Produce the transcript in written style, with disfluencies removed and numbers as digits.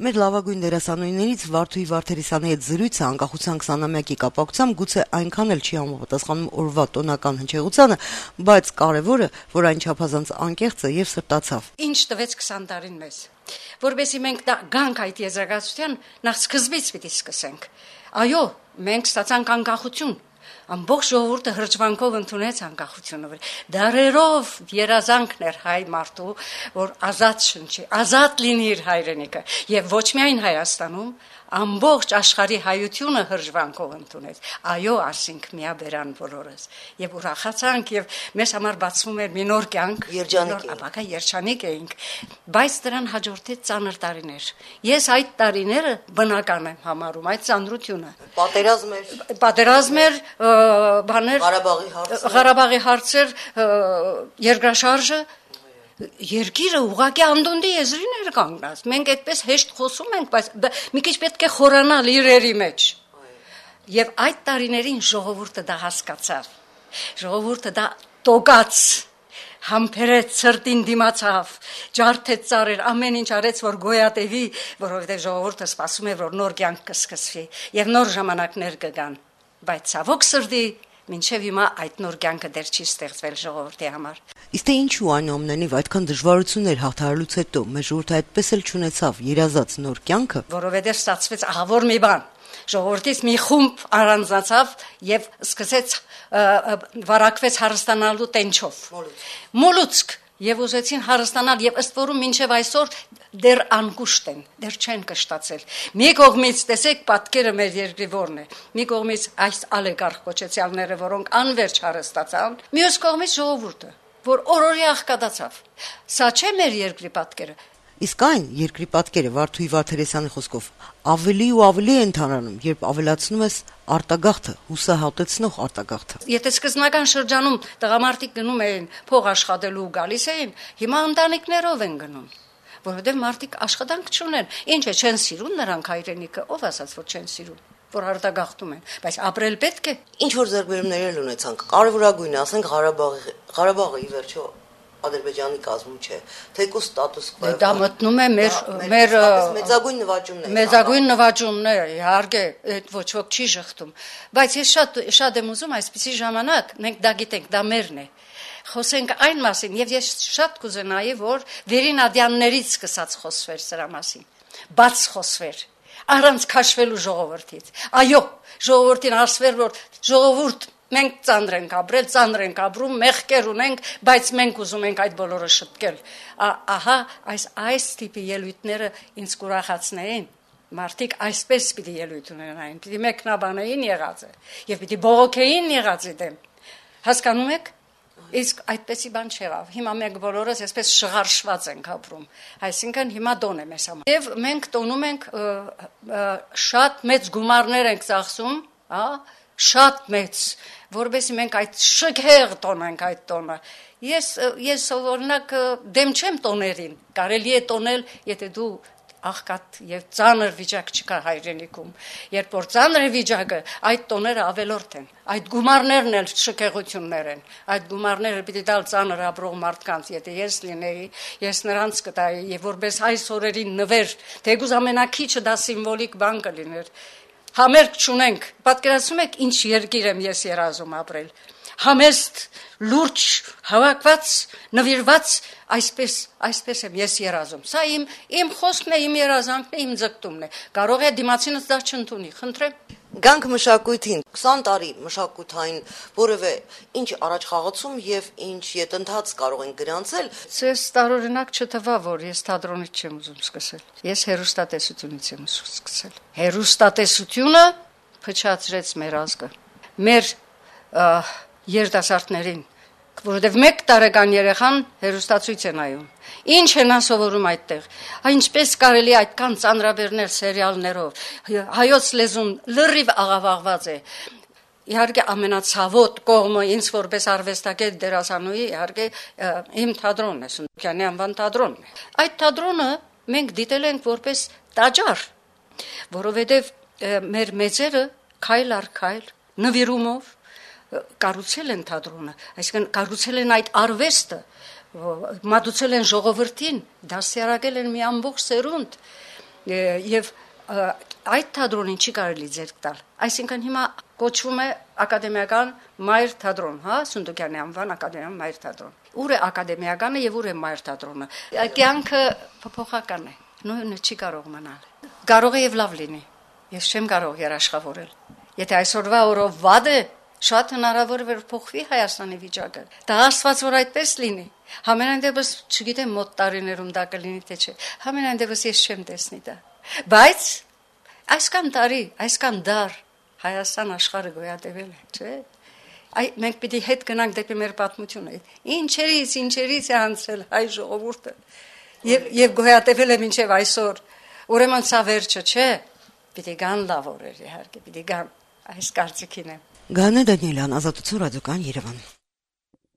Մեր լավագույն դերասանուհիներից Վարդուհի Վարդերիսյանի հետ զրույցը անկախության 20-ամյակի կապակցությամբ գուցե այնքան էլ չի համապատասխանում օրվա տոնական հնչեղությանը, բայց կարևորը, որ այն չափազանց անկեղծ է եւ սրտացավ։ Ինչ տվեց 20 տարին մեզ, որովհետեւ մենք գանք այդ եզրակացության նախ սկզբից պիտի սկսենք։ Այո, մենք ստացանք անկախություն։ Ամբողջ ժողովուրդը հրճվանքով ընդունեց անկախությունը։ Դարերով երազանքն էր հայ մարդու, որ ազատ շնչի, ազատ լինի իր հայրենիքը, եւ ոչ միայն Հայաստանում, ամբողջ աշխարհի հայությունը հրճվանքով ընդունեց։ Այո, ասինք միաբերան բոլորս։ Եվ ուրախացանք եւ մեզ համար բացվում էր մի նոր կյանք, երջանիկ էինք, բայց դրան հաջորդեց ծանր տարիներ։ Ես այդ տարիները բնական եմ համարում, այդ ծանրությունը։ Պատերազմ էր, բաներ, Ղարաբաղի հարցեր, երկրաշարժը, երկիրը ուղղակի անդունդի եզրին էր կանգնած։ Մենք այդպես հեշտ խոսում ենք, բայց մի քիչ պետք է խորանալ իրերի մեջ։ Եվ այդ տարիներին ժողովուրդը դա հասկացավ։ Ժողովուրդը դա տոկաց, համբերեց, սրտին դիմացավ, ջարդեց ծառեր, ամեն ինչ արեց, որ գոյատևի, որովհետև ժողովուրդը սպասում է, որ նոր կյանք կսկսվի եւ նոր ժամանակներ կգան։ Բայց ցավոք սրտի մինչև հիմա այդ նոր կյանքը դեռ չի ստեղծվել ժողովրդի համար։ Իսկ թե ինչու այնուամենայնիվ այդքան դժվարություններ հաղթահարելուց հետո մեր ժողովուրդը այդպես էլ չունեցավ երազած նոր կյանքը, որովհետև ստացվեց ահավոր մի բան։ Ժողովրդից մի խումբ առանձնացավ եւ սկսեց վարակվեց հարստանալու տենչով։ Մոլուցք եւ ուզեցին հարստանալ եւ ըստ որում մինչեւ այսօր դեռ անկուշտ են, դեռ չեն կշտացել։ Մի կողմից տեսեք պատկերը մեր երկրի որն է։ Մի կողմից այս ալեգարխ կոչեցյալները, որոնք անverջ հարստացան, մյուս կողմից ժողովուրդը, որ օրորի աղքատացավ։ Սա չէ մեր երկրի պատկերը։ Իսկ այն երկրի պատկերը Վարդուհի Վարդերիսյանի խոսքով ավելի ու ավելի է ընդհանրանում, երբ ավելացնում ես արտագաղթը, հուսահատեցնող արտագաղթը։ Եթե սկզբնական շրջանում տղամարդիկ գնում էին փող աշխատելու ու գալիս էին, հիմա ընտանիքներով են գնում, որովհետև մարդիկ աշխատանք չունեն։ Ինչ է, չեն սիրում նրանք հայրենիքը, ով ասաց, որ չեն սիրում, որ արտագաղթում են, բայց ապրել պետք է։ Ինչ որ ձեռքբերումներ ունեցանք, կարևորագույնը, ասենք Ղարաբաղը ի վերջո Ադրբեջանի կազմում չէ, թեկուզ ստատուս կվո։ Դա մտնում է մեր մեծագույն նվաճումներ։ Մեծագույն նվաճումներ, իհարկե, այդ ոչ ոք չի շղթում, բայց ես շատ եմ ուզում այսպիսի ժամանակ, մենք դա գիտենք, դա մերն է։ Խոսենք այն մասին, եւ ես շատ կուզենայի, որ վերինադյաններից սկսած խոսվեր սրա մասին, բաց խոսվեր, առանց քաշվելու ժողովրդից։ Այո, ժողովրդին ասվեր, որ ժողովուրդ մենք ծանր ենք ապրել, ծանր ենք ապրում, մեղքեր ունենք, բայց մենք ուզում ենք այդ բոլորը շտկել։ Ահա այս տիպի ելույթները ինձ կուրախացնեին։ Մարդիկ այսպես պիտի ելույթ ունենային, պիտի մեկնաբանեին եղածը եւ պիտի բողոքեին եղածի դեմ։ Հասկանում եք։ Իսկ այդպեսի բան չեղավ։ Հիմա մենք բոլորս այսպես շղարշված ենք ապրում։ Այսինքն հիմա դոն է մեզ համար։ Եվ մենք տոնում ենք շատ մեծ գումարներ ենք ծախսում, հա, շատ մեծ, որովհետեւ մենք այդ շքեղ տոնենք այդ տոնը։ Ես օրինակ դեմ չեմ տոներին։ Կարելի է տոնել, եթե դու աղքատ եւ ծանր վիճակ չկա հայրենիքում։ Երբ որ ծանր է վիճակը, այդ տոները ավելորդ են։ Այդ գումարներն էլ շքեղություններ են։ Այդ գումարները պիտի տալ ծանր ապրող մարդկանց, եթե ես լինեի, ես նրանց կտայի եւ որպես այս օրերին նվեր, թեկուզ ամենակիչը դա սիմվոլիկ բան կլիներ։ Համերգ չունենք։ Պատկերացնում եք ինչ երկիր եմ ես երազում ապրել։ Համեստ, լուրջ, հավաքված, նվիրված, այսպես եմ ես երազում։ Սա իմ խոսքն է, իմ երազանքն է, իմ ձգտումն է։ Կարող է դիմացինս դա չընդունի, խնդրեմ։ Գանք մշակույթին 20 տարի մշակութային որևէ ինչ առաջ խաղացում եւ ինչ յետընթաց կարող են գրանցել։ Ես տարօրինակ չթվա, որ ես թատրոնից չեմ ուզում սկսել։ Ես հեռուստատեսությունից եմ ուզում սկսել։ Հեռուստատեսությունը փչացրեց մեր ազգը։ Մեր երիտասարդներին, որովհետև 1 տարեկան երեխան հեռուստացույց է նայում։ Ինչ են ասովորում այդտեղ։ Ինչպես կարելի այդքան ծանրաբեռնել սերիալներով։ Հայոց լեզուն լրիվ աղավաղված է։ Իհարկե ամենացավոտ կողմը ինձ որպես արվեստագետ դերասանուհի իհարկե իմ թատրոնն է, Սունդուկյանի անվան թատրոնն է։ Այդ թատրոնը մենք դիտել ենք որպես տաճար, որովհետև մեր մեծերը քայլ առ քայլ նվիրումով կառուցել են թատրոնը, այսինքն կառուցել են այդ արվեստը, մատուցել են ժողովրդին, դասյարակել են մի ամբողջ սերունդ, եւ այդ թատրոնին չի կարելի ձեռք տալ։ Այսինքն հիմա կոչվում է ակադեմիական մայր թատրոն, հա, Սունդուկյանի անվան ակադեմիական մայր թատրոն։ Ուր է ակադեմիականը եւ ուր է մայր թատրոնը։ Կյանքը փոփոխական է, նույնը չի կարող մնալ։ Կարող է եւ լավ լինի։ Ես չեմ կարող երաշխավորել։ Եթե այսօրվա օրով վատ է, շատ հնարավոր է որ փոխվի Հայաստանի վիճակը։ Դա աստված որ այդպես լինի։ Համենայն դեպս չգիտեմ մոտ տարիներում դա կլինի թե չէ։ Համենայն դեպս ես չեմ տեսնի դա։ Բայց այսքան տարի, այսքան դար Հայաստան աշխարհը գոյատևել է, չէ՞։ Մենք պիտի հետ գնանք դեպի մեր պատմությունը։ Ինչերից է անցել հայ ժողովուրդը։ Եվ գոյատևել է մինչև այսօր։ Ուրեմն սա վերջը չէ։ Պիտի գան լավ օրեր իհարկե, պիտի գան։ Այս կարծիքին եմ։ Գանե Դանիելյան, Ազատություն ռադիոկայան Երևան։